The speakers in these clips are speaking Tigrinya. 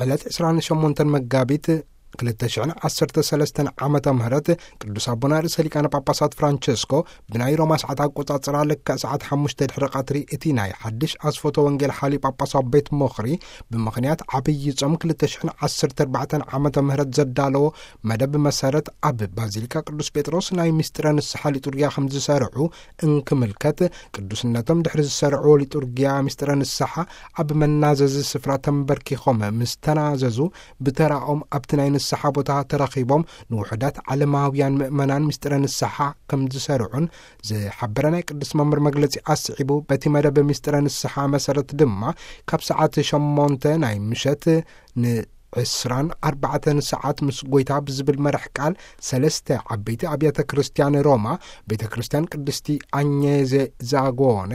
ዕለት ዕስራን ሸሞንተን መጋቢት ክልተ ሽሕን ዓሰርተ ሰለስተን ዓመተ ምህረት ቅዱስ ኣቦና ርእሰ ሊቃነ ጳጳሳት ፍራንቸስኮ ብናይ ሮማ ሰዓት ኣቆጻጽራ ልክዕ ሰዓት ሓሙሽተ ድሕሪ ቀትሪ እቲ ናይ ሓድሽ ኣስፎቶ ወንጌል ሓልዩ ጳጳሳዊ ቤት ምኽሪ ብምኽንያት ዓብዪ ጾም ክልተ ሽሕን ዓሰርተ ኣርባዕተን ዓመተ ምህረት ዘዳለዎ መደብ መሰረት ኣብ ባዚሊካ ቅዱስ ጴጥሮስ ናይ ምስጢረ ንስሓ ሊጡርጊያ ከም ዝሰርዑ እንክምልከት፣ ቅዱስነቶም ድሕሪ ዝሰርዕዎ ሊጡርጊያ ምስጢረ ንስሓ ኣብ መናዘዚ ስፍራ ተንበርኪኾም ምስ ተናዘዙ፣ ብተራኦም ኣብቲ ናይ ንስሓ ቦታ ተረኺቦም ንውሑዳት ዓለማውያን ምእመናን ምስጢረ ንስሓ ከም ዝሰርዑን ዝሓበረ ናይ ቅዱስ መምህር መግለጺ ኣስዒቡ፣ በቲ መደብ ምስጢረ ንስሓ መሰረት ድማ ካብ ሰዓት ሸሞንተ ናይ ምሸት ን ዕስራን ኣርባዕተን ሰዓት ምስ ጎይታ ብዝብል መራሕ ቃል ሰለስተ ዓበይቲ ኣብያተ ክርስቲያን ሮማ፣ ቤተ ክርስቲያን ቅድስቲ ኣኘዜ ዛጎነ፣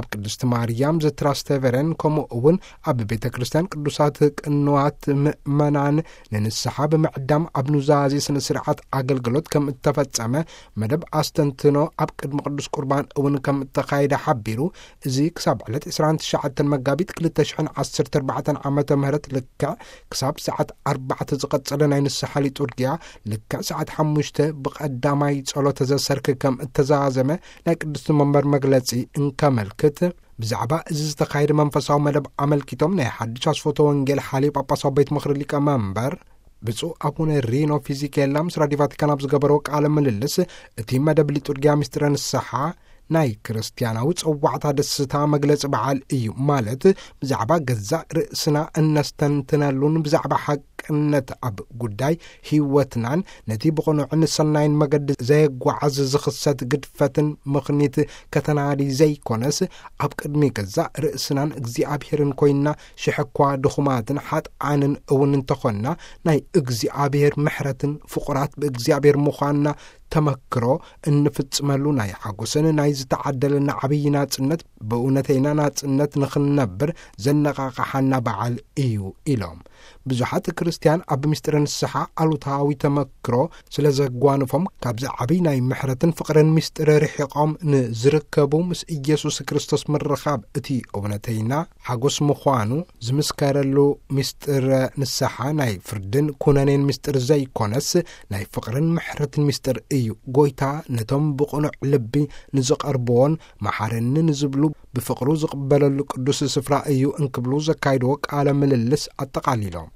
ኣብ ቅድስቲ ማርያም ዘትራስተቨረን፣ ከምኡ እውን ኣብ ቤተ ክርስቲያን ቅዱሳት ቅንዋት ምእመናን ንንስሓ ብምዕዳም ኣብ ኑዛዜ ስነ ስርዓት ኣገልግሎት ከም እተፈጸመ፣ መደብ ኣስተንትኖ ኣብ ቅድሚ ቅዱስ ቁርባን እውን ከም እተኻየደ ሓቢሩ፣ እዚ ክሳብ ዕለት ዕስራን ትሽዓተን መጋቢት ክልተ ሽሕን ዓሰርተ ኣርባዕተን ዓመተ ምህረት ልክዕ ክሳብ ሰዓት ኣርባዕተ ዝቐጸለ ናይ ንስሓ ሊጡርጊያ፣ ልክዕ ሰዓት ሓሙሽተ ብቐዳማይ ጸሎተ ዘሰርክ ከም እተዛዘመ ናይ ቅድስቲ መንበር መግለጺ እንከመልክት፣ ብዛዕባ እዚ ዝተኻየደ መንፈሳዊ መደብ ኣመልኪቶም ናይ ሓድሽ ኣስፎቶ ወንጌል ሓልዩ ጳጳሳዊ ቤት ምኽሪ ሊቀ መንበር ብፁዕ ኣቡነ ሪኖ ፊዚኬላ ምስ ራዲዮ ቫቲካን ኣብ ዝገበረዎ ቃለ ምልልስ፣ እቲ መደብ ሊጡርጊያ ምስጢረ ንስሓ ናይ ክርስትያናዊ ጸዋዕታ ደስታ መግለጺ በዓል እዩ። ማለት፣ ብዛዕባ ገዛእ ርእስና እነስተንትነሉን ብዛዕባ ሓቅነት ኣብ ጉዳይ ህይወትናን ነቲ ብቕኑዕን ሰናይን መገዲ ዘየጓዓዝ ዝኽሰት ግድፈትን ምኽኒት ከተናዲ ዘይኮነስ፣ ኣብ ቅድሚ ገዛእ ርእስናን እግዚኣብሔርን ኮይንና ሽሕ እኳ ድኹማትን ሓጥኣንን እውን እንተኾንና፣ ናይ እግዚኣብሔር ምሕረትን ፍቑራት ብእግዚኣብሔር ምዃንና ተመክሮ እንፍጽመሉ ናይ ሓጎስን ናይ ዝተዓደለና ዓብዪ ናጽነት፣ ብእውነተይና ናጽነት ንኽንነብር ዘነቓቕሓና በዓል እዩ ኢሎም። ብዙሓት ክርስትያን ኣብ ምስጢረ ንስሓ ኣሉታዊ ተመክሮ ስለ ዘጓንፎም፣ ካብዚ ዓብዪ ናይ ምሕረትን ፍቕርን ምስጢር ርሒቖም ንዝርከቡ፣ ምስ ኢየሱስ ክርስቶስ ምርኻብ እቲ እውነተይና ሓጎስ ምዃኑ ዝምስከረሉ ምስጢረ ንስሓ ናይ ፍርድን ኩነኔን ምስጢር ዘይኮነስ፣ ናይ ፍቕርን ምሕረትን ምስጢር እዩ። ጎይታ ነቶም ብቕኑዕ ልቢ ንዝቐርብዎን መሓረኒ ንዝብሉ ብፍቕሩ ዝቕበለሉ ቅዱስ ስፍራ እዩ እንክብሉ ዘካይድዎ ቃለ ምልልስ ኣጠቓሊሎም።